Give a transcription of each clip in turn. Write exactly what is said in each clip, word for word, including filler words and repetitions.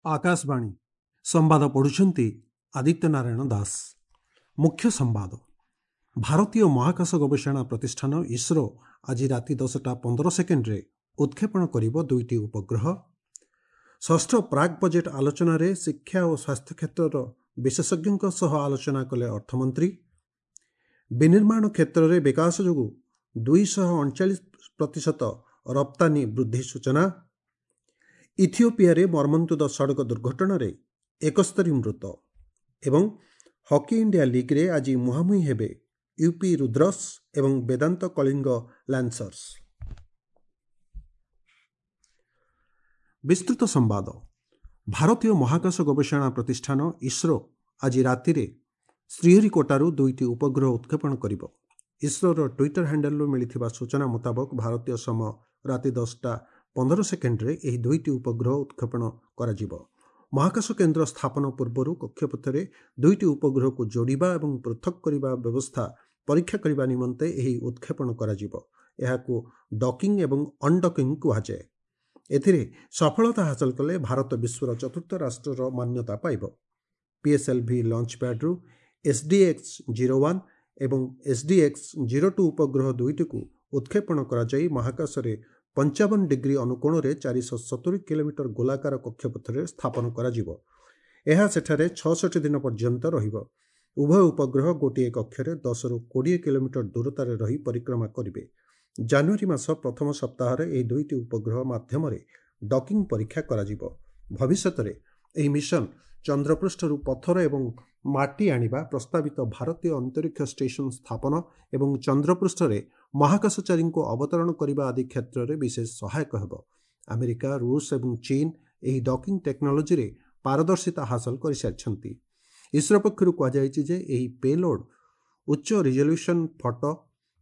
ଆକାଶବାଣୀ ସମ୍ବାଦ ପଢ଼ୁଛନ୍ତି ଆଦିତ୍ୟ ନାରାୟଣ ଦାସ। ମୁଖ୍ୟ ସମ୍ବାଦ। ଭାରତୀୟ ମହାକାଶ ଗବେଷଣା ପ୍ରତିଷ୍ଠାନ ଇସ୍ରୋ ଆଜି ରାତି ଦଶଟା ପନ୍ଦର ସେକେଣ୍ଡରେ ଉତ୍କ୍ଷେପଣ କରିବ ଦୁଇଟି ଉପଗ୍ରହ। ଷଷ୍ଠ ପ୍ରାକ୍ ବଜେଟ୍ ଆଲୋଚନାରେ ଶିକ୍ଷା ଓ ସ୍ୱାସ୍ଥ୍ୟ କ୍ଷେତ୍ରର ବିଶେଷଜ୍ଞଙ୍କ ସହ ଆଲୋଚନା କଲେ ଅର୍ଥମନ୍ତ୍ରୀ। ବିନିର୍ମାଣ କ୍ଷେତ୍ରରେ ବିକାଶ ଯୋଗୁଁ ଦୁଇଶହ ଅଣଚାଳିଶ ପ୍ରତିଶତ ରପ୍ତାନୀ ବୃଦ୍ଧି ସୂଚନା। ଇଥିଓପିଆରେ ମର୍ମନ୍ତୁଦ ସଡ଼କ ଦୁର୍ଘଟଣାରେ ଏକସ୍ତରୀ ମୃତ। ଏବଂ ହକି ଇଣ୍ଡିଆ ଲିଗ୍ରେ ଆଜି ମୁହାଁମୁହିଁ ହେବେ ୟୁପି ରୁଦ୍ରସ୍ ଏବଂ ବେଦାନ୍ତ କଳିଙ୍ଗ ଲାନ୍ସର୍ସ। ବିସ୍ତୃତ ସମ୍ବାଦ। ଭାରତୀୟ ମହାକାଶ ଗବେଷଣା ପ୍ରତିଷ୍ଠାନ ଇସ୍ରୋ ଆଜି ରାତିରେ ଶ୍ରୀହରିକୋଟାରୁ ଦୁଇଟି ଉପଗ୍ରହ ଉତ୍କ୍ଷେପଣ କରିବ। ଇସ୍ରୋର ଟ୍ୱିଟର ହ୍ୟାଣ୍ଡେଲରୁ ମିଳିଥିବା ସୂଚନା ମୁତାବକ ଭାରତୀୟ ସମୟ ରାତି ଦଶଟା ପନ୍ଦର ସେକେଣ୍ଡରେ ଏହି ଦୁଇଟି ଉପଗ୍ରହ ଉତ୍କ୍ଷେପଣ କରାଯିବ। ମହାକାଶ କେନ୍ଦ୍ର ସ୍ଥାପନ ପୂର୍ବରୁ କକ୍ଷପଥରେ ଦୁଇଟି ଉପଗ୍ରହକୁ ଯୋଡ଼ିବା ଏବଂ ପୃଥକ କରିବା ବ୍ୟବସ୍ଥା ପରୀକ୍ଷା କରିବା ନିମନ୍ତେ ଏହି ଉତ୍କ୍ଷେପଣ କରାଯିବ। ଏହାକୁ ଡକିଂ ଏବଂ ଅନଡକିଂ କୁହାଯାଏ। ଏଥିରେ ସଫଳତା ହାସଲ କଲେ ଭାରତ ବିଶ୍ୱର ଚତୁର୍ଥ ରାଷ୍ଟ୍ରର ମାନ୍ୟତା ପାଇବ। ପିଏସ୍ଏଲ୍ଭି ଲଞ୍ଚ ପ୍ୟାଡ୍ରୁ ଏସ୍ଡିଏକ୍ସ ଜିରୋ ୱାନ୍ ଏବଂ ଏସ୍ଡିଏକ୍ସ ଜିରୋ ଟୁ ଉପଗ୍ରହ ଦୁଇଟିକୁ ଉତ୍କ୍ଷେପଣ କରାଯାଇ ମହାକାଶରେ ପଞ୍ଚାବନ ଡିଗ୍ରୀ ଅନୁକୋଣରେ ଚାରିଶହ ସତୁରି କିଲୋମିଟର ଗୋଲାକାର କକ୍ଷପଥରେ ସ୍ଥାପନ କରାଯିବ। ଏହା ସେଠାରେ ଛଅଷଠି ଦିନ ପର୍ଯ୍ୟନ୍ତ ରହିବ। ଉଭୟ ଉପଗ୍ରହ ଗୋଟିଏ କକ୍ଷରେ ଦଶରୁ କୋଡ଼ିଏ କିଲୋମିଟର ଦୂରତାରେ ରହି ପରିକ୍ରମା କରିବେ। ଜାନୁଆରୀ ମାସ ପ୍ରଥମ ସପ୍ତାହରେ ଏହି ଦୁଇଟି ଉପଗ୍ରହ ମାଧ୍ୟମରେ ଡକିଂ ପରୀକ୍ଷା କରାଯିବ। ଭବିଷ୍ୟତରେ ଏହି ମିଶନ ଚନ୍ଦ୍ରପୃଷ୍ଠରୁ ପଥର ଏବଂ ମାଟି ଆଣିବା, ପ୍ରସ୍ତାବିତ ଭାରତୀୟ ଅନ୍ତରୀକ୍ଷ ଷ୍ଟେସନ ସ୍ଥାପନ ଏବଂ ଚନ୍ଦ୍ରପୃଷ୍ଠରେ ମହାକାଶଚାରୀଙ୍କୁ ଅବତରଣ କରିବା ଆଦି କ୍ଷେତ୍ରରେ ବିଶେଷ ସହାୟକ ହେବ। ଆମେରିକା, ରୁଷ ଏବଂ ଚୀନ ଏହି ଡକିଂ ଟେକ୍ନୋଲୋଜିରେ ପାରଦର୍ଶିତା ହାସଲ କରିସାରିଛନ୍ତି। ଇସ୍ରୋ ପକ୍ଷରୁ କୁହାଯାଇଛି ଯେ ଏହି ପେଲୋଡ୍ ଉଚ୍ଚ ରିଜଲ୍ୟୁସନ୍ ଫଟୋ,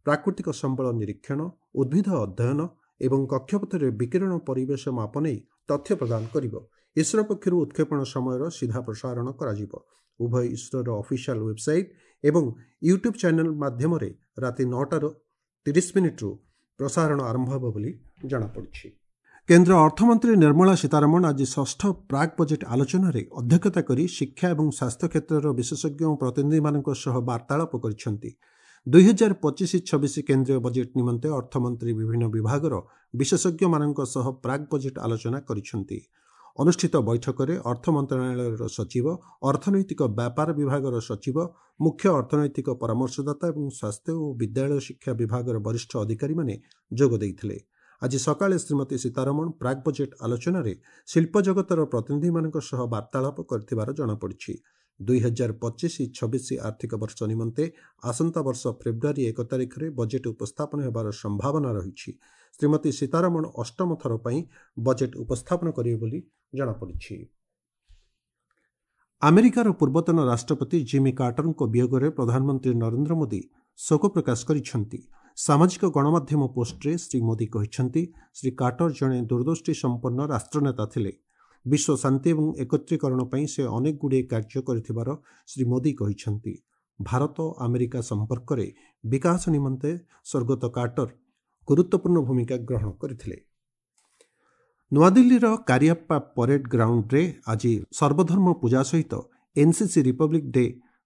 ପ୍ରାକୃତିକ ସମ୍ବଳ ନିରୀକ୍ଷଣ, ଉଦ୍ଭିଦ ଅଧ୍ୟୟନ ଏବଂ କକ୍ଷପଥରେ ବିକିରଣ ପରିବେଶ ମାପ ନେଇ ତଥ୍ୟ ପ୍ରଦାନ କରିବ। ଇସ୍ରୋ ପକ୍ଷରୁ ଉତ୍କ୍ଷେପଣ ସମୟର ସିଧା ପ୍ରସାରଣ କରାଯିବ। ଉଭୟ ଇସ୍ରୋର ଅଫିସିଆଲ ୱେବସାଇଟ୍ ଏବଂ ୟୁଟ୍ୟୁବ୍ ଚ୍ୟାନେଲ ମାଧ୍ୟମରେ ରାତି ନଅଟାର ତିରିଶ ମିନିଟ୍ରୁ ପ୍ରସାରଣ ଆରମ୍ଭ ହେବ ବୋଲି ଜଣାପଡ଼ିଛି। କେନ୍ଦ୍ର ଅର୍ଥମନ୍ତ୍ରୀ ନିର୍ମଳା ସୀତାରମଣ ଆଜି ଷଷ୍ଠ ପ୍ରାକ୍ ବଜେଟ୍ ଆଲୋଚନାରେ ଅଧ୍ୟକ୍ଷତା କରି ଶିକ୍ଷା ଏବଂ ସ୍ୱାସ୍ଥ୍ୟ କ୍ଷେତ୍ରର ବିଶେଷଜ୍ଞ ଓ ପ୍ରତିନିଧିମାନଙ୍କ ସହ ବାର୍ତ୍ତାଳାପ କରିଛନ୍ତି। ଦୁଇହଜାର ପଚିଶ ଛବିଶ କେନ୍ଦ୍ରୀୟ ବଜେଟ୍ ନିମନ୍ତେ ଅର୍ଥମନ୍ତ୍ରୀ ବିଭିନ୍ନ ବିଭାଗର ବିଶେଷଜ୍ଞମାନଙ୍କ ସହ ପ୍ରାକ୍ ବଜେଟ୍ ଆଲୋଚନା କରିଛନ୍ତି। ଅନୁଷ୍ଠିତ ବୈଠକରେ ଅର୍ଥ ମନ୍ତ୍ରଣାଳୟର ସଚିବ, ଅର୍ଥନୈତିକ ବ୍ୟାପାର ବିଭାଗର ସଚିବ, ମୁଖ୍ୟ ଅର୍ଥନୈତିକ ପରାମର୍ଶଦାତା ଏବଂ ସ୍ୱାସ୍ଥ୍ୟ ଓ ବିଦ୍ୟାଳୟ ଶିକ୍ଷା ବିଭାଗର ବରିଷ୍ଠ ଅଧିକାରୀମାନେ ଯୋଗ ଦେଇଥିଲେ। ଆଜି ସକାଳେ ଶ୍ରୀମତୀ ସୀତାରମଣ ପ୍ରାକ୍ ବଜେଟ୍ ଆଲୋଚନାରେ ଶିଳ୍ପ ଜଗତର ପ୍ରତିନିଧିମାନଙ୍କ ସହ ବାର୍ତ୍ତାଳାପ କରିଥିବାର ଜଣାପଡ଼ିଛି। ଦୁଇହଜାର ପଚିଶ ଛବିଶ ଆର୍ଥିକ ବର୍ଷ ନିମନ୍ତେ ଆସନ୍ତା ବର୍ଷ ଫେବୃଆରୀ ଏକ ତାରିଖରେ ବଜେଟ୍ ଉପସ୍ଥାପନ ହେବାର ସମ୍ଭାବନା ରହିଛି। ଶ୍ରୀମତୀ ସୀତାରମଣ ଅଷ୍ଟମ ଥର ପାଇଁ ବଜେଟ୍ ଉପସ୍ଥାପନ କରିବେ ବୋଲି ଜଣାପଡ଼ିଛି। ଆମେରିକାର ପୂର୍ବତନ ରାଷ୍ଟ୍ରପତି ଜିମି କାର୍ଟରଙ୍କ ବିୟୋଗରେ ପ୍ରଧାନମନ୍ତ୍ରୀ ନରେନ୍ଦ୍ର ମୋଦି ଶୋକ ପ୍ରକାଶ କରିଛନ୍ତି। ସାମାଜିକ ଗଣମାଧ୍ୟମ ପୋଷ୍ଟରେ ଶ୍ରୀ ମୋଦି କହିଛନ୍ତି, ଶ୍ରୀ କାର୍ଟର ଜଣେ ଦୂରଦୃଷ୍ଟି ସମ୍ପନ୍ନ ରାଷ୍ଟ୍ରନେତା ଥିଲେ। ବିଶ୍ୱ ଶାନ୍ତି ଏବଂ ଏକତ୍ରୀକରଣ ପାଇଁ ସେ ଅନେକ ଗୁଡ଼ିଏ କାର୍ଯ୍ୟ କରିଥିବାର ଶ୍ରୀ ମୋଦି କହିଛନ୍ତି। ଭାରତ ଆମେରିକା ସମ୍ପର୍କରେ ବିକାଶ ନିମନ୍ତେ ସ୍ୱର୍ଗତ କାର୍ଟର ଗୁରୁତ୍ୱପୂର୍ଣ୍ଣ ଭୂମିକା ଗ୍ରହଣ କରିଥିଲେ। ନୂଆଦିଲ୍ଲୀର କାରିଆପ୍ପା ପରେଡ୍ ଗ୍ରାଉଣ୍ଡରେ ଆଜି ସର୍ବଧର୍ମ ପୂଜା ସହିତ ଏନ୍ସିସି ରିପବ୍ଲିକ୍ ଡେ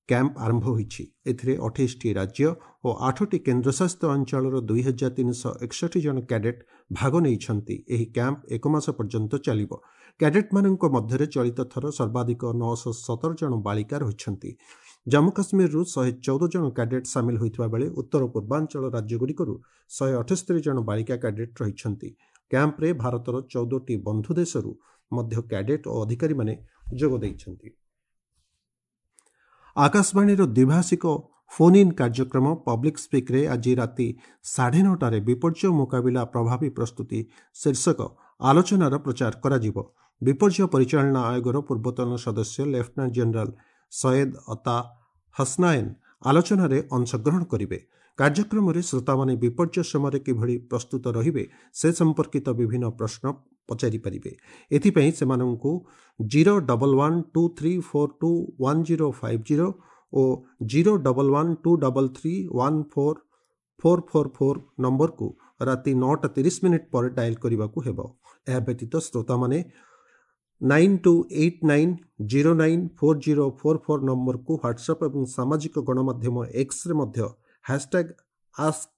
କ୍ୟାମ୍ପ ଆରମ୍ଭ ହୋଇଛି। ଏଥିରେ ଅଠେଇଶଟି ରାଜ୍ୟ ଓ ଆଠଟି କେନ୍ଦ୍ରଶାସିତ ଅଞ୍ଚଳର ଦୁଇ ହଜାର ତିନିଶହ ଏକଷଠି ଜଣ କ୍ୟାଡେଟ୍ ଭାଗ ନେଇଛନ୍ତି। ଏହି କ୍ୟାମ୍ପ ଏକ ମାସ ପର୍ଯ୍ୟନ୍ତ ଚାଲିବ। କ୍ୟାଡେଟ୍ମାନଙ୍କ ମଧ୍ୟରେ ଚଳିତ ଥର ସର୍ବାଧିକ ନଅଶହ ସତର ଜଣ ବାଳିକା ରହିଛନ୍ତି। ଜାମ୍ମୁ କାଶ୍ମୀରରୁ ଶହେ ଚଉଦ ଜଣ କ୍ୟାଡେଟ୍ ସାମିଲ ହୋଇଥିବା ବେଳେ ଉତ୍ତର ପୂର୍ବାଞ୍ଚଳ ରାଜ୍ୟଗୁଡ଼ିକରୁ ଶହେ ଅଠସ୍ତରୀ ଜଣ ବାଳିକା କ୍ୟାଡେଟ୍ ରହିଛନ୍ତି। କ୍ୟାମ୍ପରେ ଭାରତର ଚଉଦଟି ବନ୍ଧୁ ଦେଶରୁ ମଧ୍ୟ କ୍ୟାଡେଟ୍ ଓ ଅଧିକାରୀମାନେ ଯୋଗ ଦେଇଛନ୍ତି। ଆକାଶବାଣୀର ଦ୍ୱିଭାଷିକ ଫୋନ୍ ଇନ୍ କାର୍ଯ୍ୟକ୍ରମ ପବ୍ଲିକ୍ ସ୍ପିକ୍ରେ ଆଜି ରାତି ସାଢ଼େ ନଅଟାରେ ବିପର୍ଯ୍ୟୟ ମୁକାବିଲା ପ୍ରଭାବୀ ପ୍ରସ୍ତୁତି ଶୀର୍ଷକ ଆଲୋଚନାର ପ୍ରଚାର କରାଯିବ। ବିପର୍ଯ୍ୟୟ ପରିଚାଳନା ଆୟୋଗର ପୂର୍ବତନ ସଦସ୍ୟ ଲେଫ୍ଟନାଣ୍ଟ ଜେନେରାଲ ସୟେଦ ଅତା ହସନାୟନ ଆଲୋଚନାରେ ଅଂଶଗ୍ରହଣ କରିବେ। କାର୍ଯ୍ୟକ୍ରମରେ ଶ୍ରୋତାମାନେ ବିପର୍ଯ୍ୟୟ ସମୟରେ କିଭଳି ପ୍ରସ୍ତୁତ ରହିବେ ସେ ସମ୍ପର୍କିତ ବିଭିନ୍ନ ପ୍ରଶ୍ନ ପଚାରିପାରିବେ। ଏଥିପାଇଁ ସେମାନଙ୍କୁ zero double one two three four two one zero five zero ଓ zero double one two double three one four four four four ନମ୍ବରକୁ ରାତି ନଅଟା ତିରିଶ ମିନିଟ୍ ପରେ ଡାଏଲ୍ କରିବାକୁ ହେବ। ଏହା ବ୍ୟତୀତ ଶ୍ରୋତାମାନେ nine two eight nine zero nine four zero four four ନମ୍ବରକୁ ହ୍ୱାଟ୍ସଆପ୍ ଏବଂ ସାମାଜିକ ଗଣମାଧ୍ୟମ ଏକ୍ସରେ ମଧ୍ୟ ହ୍ୟାସ୍ଟ୍ୟାଗ୍ ଆସ୍କ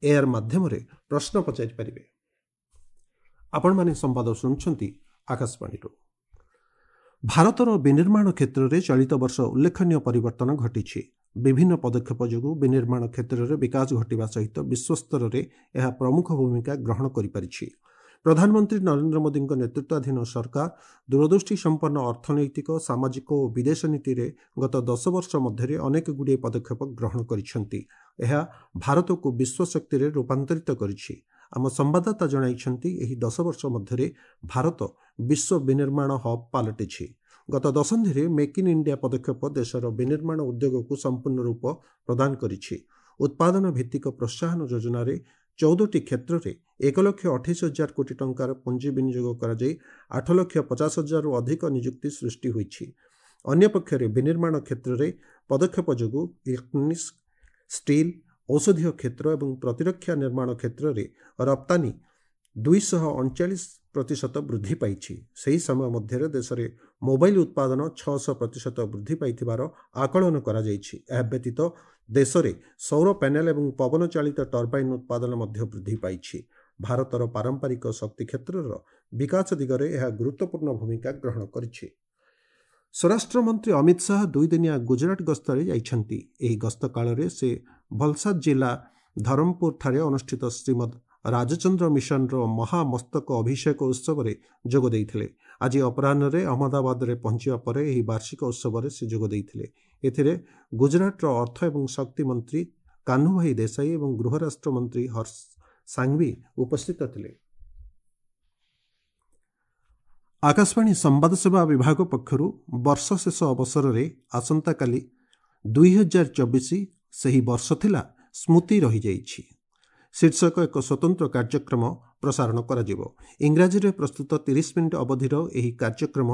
ଏଆର୍ ମାଧ୍ୟମରେ ପ୍ରଶ୍ନ ପଚାରିପାରିବେ। ଆପଣମାନେ ସମ୍ବାଦ ଶୁଣୁଛନ୍ତି ଆକାଶବାଣୀରୁ। ଭାରତର ବିନିର୍ମାଣ କ୍ଷେତ୍ରରେ ଚଳିତ ବର୍ଷ ଉଲ୍ଲେଖନୀୟ ପରିବର୍ତ୍ତନ ଘଟିଛି। ବିଭିନ୍ନ ପଦକ୍ଷେପ ଯୋଗୁଁ ବିନିର୍ମାଣ କ୍ଷେତ୍ରରେ ବିକାଶ ଘଟିବା ସହିତ ବିଶ୍ୱସ୍ତରରେ ଏହା ପ୍ରମୁଖ ଭୂମିକା ଗ୍ରହଣ କରିପାରିଛି। ପ୍ରଧାନମନ୍ତ୍ରୀ ନରେନ୍ଦ୍ର ମୋଦିଙ୍କ ନେତୃତ୍ୱାଧୀନ ସରକାର ଦୂରଦୃଷ୍ଟି ସମ୍ପନ୍ନ ଅର୍ଥନୈତିକ, ସାମାଜିକ ଓ ବିଦେଶ ନୀତିରେ ଗତ ଦଶ ବର୍ଷ ମଧ୍ୟରେ ଅନେକ ଗୁଡ଼ିଏ ପଦକ୍ଷେପ ଗ୍ରହଣ କରିଛନ୍ତି। ଏହା ଭାରତକୁ ବିଶ୍ୱ ଶକ୍ତିରେ ରୂପାନ୍ତରିତ କରିଛି। ଆମ ସମ୍ବାଦଦାତା ଜଣାଇଛନ୍ତି, ଏହି ଦଶ ବର୍ଷ ମଧ୍ୟରେ ଭାରତ ବିଶ୍ୱ ବିନିର୍ମାଣ ହବ୍ ପାଲଟିଛି। ଗତ ଦଶନ୍ଧିରେ ମେକ୍ ଇନ୍ ଇଣ୍ଡିଆ ପଦକ୍ଷେପ ଦେଶର ବିନିର୍ମାଣ ଉଦ୍ୟୋଗକୁ ସମ୍ପୂର୍ଣ୍ଣ ରୂପ ପ୍ରଦାନ କରିଛି। ଉତ୍ପାଦନ ଭିତ୍ତିକ ପ୍ରୋତ୍ସାହନ ଯୋଜନାରେ ଚଉଦଟି କ୍ଷେତ୍ରରେ ଏକ ଲକ୍ଷ ଅଠେଇଶ ହଜାର କୋଟି ଟଙ୍କାର ପୁଞ୍ଜି ବିନିଯୋଗ କରାଯାଇ ଆଠ ଲକ୍ଷ ପଚାଶ ହଜାରରୁ ଅଧିକ ନିଯୁକ୍ତି ସୃଷ୍ଟି ହୋଇଛି। ଅନ୍ୟପକ୍ଷରେ ବିନିର୍ମାଣ କ୍ଷେତ୍ରରେ ପଦକ୍ଷେପ ଯୋଗୁଁ ଇଲେକ୍ଟ୍ରୋନିକ୍ସ, ଷ୍ଟିଲ୍, ଔଷଧୀୟ କ୍ଷେତ୍ର ଏବଂ ପ୍ରତିରକ୍ଷା ନିର୍ମାଣ କ୍ଷେତ୍ରରେ ରପ୍ତାନୀ ଦୁଇଶହ ଅଣଚାଳିଶ ପ୍ରତିଶତ ବୃଦ୍ଧି ପାଇଛି। ସେହି ସମୟ ମଧ୍ୟରେ ଦେଶରେ ମୋବାଇଲ ଉତ୍ପାଦନ ଛଅଶହ ପ୍ରତିଶତ ବୃଦ୍ଧି ପାଇଥିବାର ଆକଳନ କରାଯାଇଛି। ଏହା ବ୍ୟତୀତ ଦେଶରେ ସୌର ପ୍ୟାନେଲ ଏବଂ ପବନ ଚାଳିତ ଟର୍ବାଇନ୍ ଉତ୍ପାଦନ ମଧ୍ୟ ବୃଦ୍ଧି ପାଇଛି। ଭାରତର ପାରମ୍ପରିକ ଶକ୍ତି କ୍ଷେତ୍ରର ବିକାଶ ଦିଗରେ ଏହା ଗୁରୁତ୍ୱପୂର୍ଣ୍ଣ ଭୂମିକା ଗ୍ରହଣ କରିଛି। ସ୍ୱରାଷ୍ଟ୍ରମନ୍ତ୍ରୀ ଅମିତ ଶାହା ଦୁଇଦିନିଆ ଗୁଜରାଟ ଗସ୍ତରେ ଯାଇଛନ୍ତି। ଏହି ଗସ୍ତ କାଳରେ ସେ ଭଲସାଦ ଜିଲ୍ଲା ଧରମପୁରଠାରେ ଅନୁଷ୍ଠିତ ଶ୍ରୀମଦ୍ ରାଜଚନ୍ଦ୍ର ମିଶନର ମହାମସ୍ତକ ଅଭିଷେକ ଉତ୍ସବରେ ଯୋଗ ଦେଇଥିଲେ। ଆଜି ଅପରାହ୍ନରେ ଅହମ୍ମଦାବାଦରେ ପହଞ୍ଚିବା ପରେ ଏହି ବାର୍ଷିକ ଉତ୍ସବରେ ସେ ଯୋଗ ଦେଇଥିଲେ। ଏଥିରେ ଗୁଜରାଟର ଅର୍ଥ ଏବଂ ଶକ୍ତି ମନ୍ତ୍ରୀ କାହ୍ନୁଭାଇ ଦେଶାଇ ଏବଂ ଗୃହରାଷ୍ଟ୍ରମନ୍ତ୍ରୀ ହର୍ଷ ସାଙ୍ଘଭି ଉପସ୍ଥିତ ଥିଲେ। ଆକାଶବାଣୀ ସମ୍ବାଦ ସେବା ବିଭାଗ ପକ୍ଷରୁ ବର୍ଷ ଶେଷ ଅବସରରେ ଆସନ୍ତାକାଲି ଦୁଇ ହଜାର ଚବିଶ ସେହି ବର୍ଷ ଥିଲା ସ୍ମୃତି ରହିଯାଇଛି ଶୀର୍ଷକ ଏକ ସ୍ୱତନ୍ତ୍ର କାର୍ଯ୍ୟକ୍ରମ ପ୍ରସାରଣ କରାଯିବ। ଇଂରାଜୀରେ ପ୍ରସ୍ତୁତ ତିରିଶ ମିନିଟ୍ ଅବଧିର ଏହି କାର୍ଯ୍ୟକ୍ରମ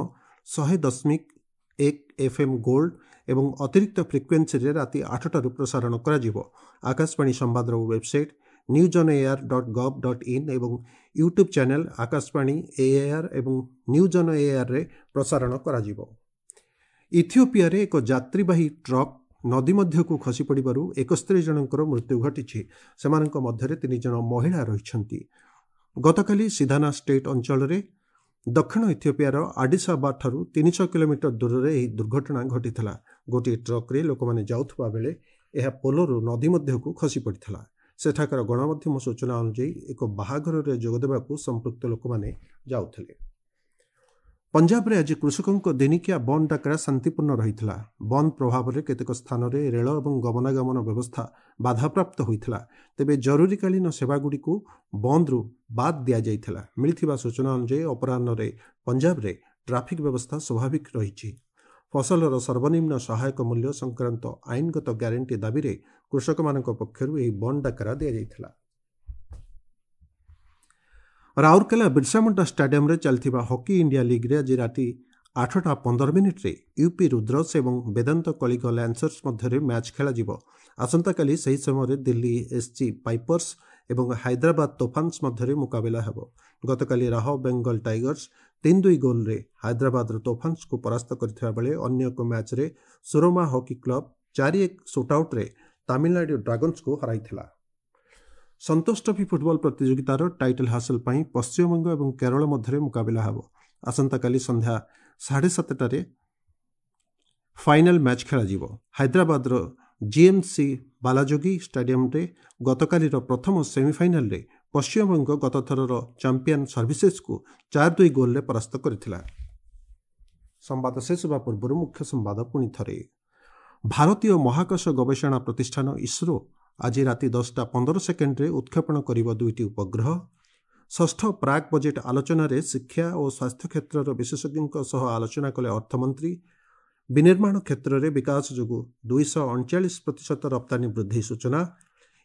ଶହେ ଦଶମିକ ଏକ ଏଫ୍ ଏମ୍ ଗୋଲ୍ଡ ଏବଂ ଅତିରିକ୍ତ ଫ୍ରିକ୍ୱେନ୍ସିରେ ରାତି ଆଠଟାରୁ ପ୍ରସାରଣ କରାଯିବ। ଆକାଶବାଣୀ ସମ୍ବାଦର website news on AIR dot gov dot in ଏବଂ ୟୁଟ୍ୟୁବ୍ ଚ୍ୟାନେଲ୍ ଆକାଶବାଣୀ ଏଆଇଆର୍ ଏବଂ ନ୍ୟୁଜ୍ ଅନ୍ ଏଆର୍ରେ ପ୍ରସାରଣ କରାଯିବ। ଇଥିଓପିଆରେ ଏକ ଯାତ୍ରୀବାହୀ ଟ୍ରକ୍ ନଦୀ ମଧ୍ୟକୁ ଖସି ପଡ଼ିବାରୁ ଏକସ୍ତରୀ ଜଣଙ୍କର ମୃତ୍ୟୁ ଘଟିଛି। ସେମାନଙ୍କ ମଧ୍ୟରେ ତିନି ଜଣ ମହିଳା ରହିଛନ୍ତି। ଗତକାଲି ସିଧାନା ଷ୍ଟେଟ୍ ଅଞ୍ଚଳରେ ଦକ୍ଷିଣ ଇଥିଓପିଆର ଆଡିସ୍ ଆବାବାଠାରୁ ତିନିଶହ କିଲୋମିଟର ଦୂରରେ ଏହି ଦୁର୍ଘଟଣା ଘଟିଥିଲା। ଗୋଟିଏ ଟ୍ରକ୍ରେ ଲୋକମାନେ ଯାଉଥିବା ବେଳେ ଏହା ପୋଲରୁ ନଦୀ ମଧ୍ୟକୁ ଖସି ପଡ଼ିଥିଲା। ସେଠାକାର ଗଣମାଧ୍ୟମ ସୂଚନା ଅନୁଯାୟୀ ଏକ ବାହାଘରରେ ଯୋଗଦେବାକୁ ସମ୍ପୃକ୍ତ ଲୋକମାନେ ଯାଉଥିଲେ। ପଞ୍ଜାବରେ ଆଜି କୃଷକଙ୍କ ଦିନିକିଆ ବନ୍ଦ ଡାକରା ଶାନ୍ତିପୂର୍ଣ୍ଣ ରହିଥିଲା। ବନ୍ଦ ପ୍ରଭାବରେ କେତେକ ସ୍ଥାନରେ ରେଳ ଏବଂ ଗମନାଗମନ ବ୍ୟବସ୍ଥା ବାଧାପ୍ରାପ୍ତ ହୋଇଥିଲା। ତେବେ ଜରୁରୀକାଳୀନ ସେବାଗୁଡ଼ିକୁ ବନ୍ଦରୁ ବାଦ୍ ଦିଆଯାଇଥିଲା। ମିଳିଥିବା ସୂଚନା ଅନୁଯାୟୀ ଅପରାହ୍ନରେ ପଞ୍ଜାବରେ ଟ୍ରାଫିକ୍ ବ୍ୟବସ୍ଥା ସ୍ୱାଭାବିକ ରହିଛି। ଫସଲର ସର୍ବନିମ୍ନ ସହାୟକ ମୂଲ୍ୟ ସଂକ୍ରାନ୍ତ ଆଇନଗତ ଗ୍ୟାରେଣ୍ଟି ଦାବିରେ କୃଷକମାନଙ୍କ ପକ୍ଷରୁ ଏହି ବନ୍ଦ ଡାକରା ଦିଆଯାଇଥିଲା। ରାଉରକେଲା ବିର୍ସାମୁଣ୍ଡା ଷ୍ଟାଡିୟମରେ ଚାଲିଥିବା ହକି ଇଣ୍ଡିଆ ଲିଗ୍ରେ ଆଜି ରାତି ଆଠଟା ପନ୍ଦର ମିନିଟ୍ରେ ୟୁପି ରୁଦ୍ରସ୍ ଏବଂ ବେଦାନ୍ତ କଳିଙ୍ଗ ଲ୍ୟାନ୍ସର୍ସ ମଧ୍ୟରେ ମ୍ୟାଚ୍ ଖେଳାଯିବ। ଆସନ୍ତାକାଲି ସେହି ସମୟରେ ଦିଲ୍ଲୀ ଏସ୍ଜି ପାଇପର୍ସ ଏବଂ ହାଇଦ୍ରାବାଦ ତୋଫାନ୍ସ ମଧ୍ୟରେ ମୁକାବିଲା ହେବ। ଗତକାଲି ରାହ ବେଙ୍ଗଲ ଟାଇଗର୍ସ ତିନି ଦୁଇ ଗୋଲ୍ରେ ହାଇଦ୍ରାବାଦର ତୋଫାନ୍ସକୁ ପରାସ୍ତ କରିଥିବା ବେଳେ ଅନ୍ୟ ଏକ ମ୍ୟାଚ୍ରେ ସୁରମା ହକି କ୍ଲବ ଚାରି ଏକ ସୁଟ୍ଆଉଟ୍ରେ ତାମିଲନାଡୁ ଡ୍ରାଗନ୍ସକୁ ହରାଇଥିଲା। ସନ୍ତୋଷ ଟ୍ରଫି ଫୁଟବଲ ପ୍ରତିଯୋଗିତାର ଟାଇଟଲ୍ ହାସଲ ପାଇଁ ପଶ୍ଚିମବଙ୍ଗ ଏବଂ କେରଳ ମଧ୍ୟରେ ମୁକାବିଲା ହେବ। ଆସନ୍ତାକାଲି ସନ୍ଧ୍ୟା ସାଢ଼େ ସାତଟାରେ ଫାଇନାଲ ମ୍ୟାଚ୍ ଖେଳାଯିବ। ହାଇଦ୍ରାବାଦର ଜିଏମ୍ସି ବାଲାଯୋଗୀ ଷ୍ଟାଡିୟମରେ ଗତକାଲିର ପ୍ରଥମ ସେମିଫାଇନାଲରେ ପଶ୍ଚିମବଙ୍ଗ ଗତଥରର ଚାମ୍ପିୟନ ସର୍ଭିସେସକୁ ଚାରି ଦୁଇ ଗୋଲ୍ରେ ପରାସ୍ତ କରିଥିଲା। ସମ୍ବାଦ ଶେଷ ହେବା ପୂର୍ବରୁ ମୁଖ୍ୟ ସମ୍ବାଦ ପୁଣି ଥରେ। ଭାରତୀୟ ମହାକାଶ ଗବେଷଣା ପ୍ରତିଷ୍ଠାନ ଇସ୍ରୋ ଆଜି ରାତି ଦଶଟା ପନ୍ଦର ସେକେଣ୍ଡରେ ଉତ୍କ୍ଷେପଣ କରିବ ଦୁଇଟି ଉପଗ୍ରହ। ଷଷ୍ଠ ପ୍ରାକ୍ ବଜେଟ୍ ଆଲୋଚନାରେ ଶିକ୍ଷା ଓ ସ୍ୱାସ୍ଥ୍ୟ କ୍ଷେତ୍ରର ବିଶେଷଜ୍ଞଙ୍କ ସହ ଆଲୋଚନା କଲେ ଅର୍ଥମନ୍ତ୍ରୀ। ବିନିର୍ମାଣ କ୍ଷେତ୍ରରେ ବିକାଶ ଯୋଗୁଁ ଦୁଇଶହ ଅଣଚାଳିଶ ପ୍ରତିଶତ ରପ୍ତାନୀ ବୃଦ୍ଧି ସୂଚନା।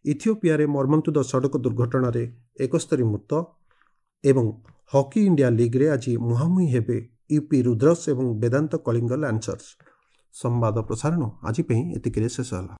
ଇଥିଓପିଆରେ ମର୍ମନ୍ତୁଦ ସଡ଼କ ଦୁର୍ଘଟଣାରେ ଏକସ୍ତରୀ ମୃତ। ଏବଂ ହକି ଇଣ୍ଡିଆ ଲିଗ୍ରେ ଆଜି ମୁହାଁମୁହିଁ ହେବେ ୟୁପି ରୁଦ୍ରସ୍ ଏବଂ ବେଦାନ୍ତ କଳିଙ୍ଗ ଲାନ୍ସର୍ସ। ସମ୍ବାଦ ପ୍ରସାରଣ ଆଜି ପାଇଁ ଏତିକିରେ ଶେଷ ହେଲା।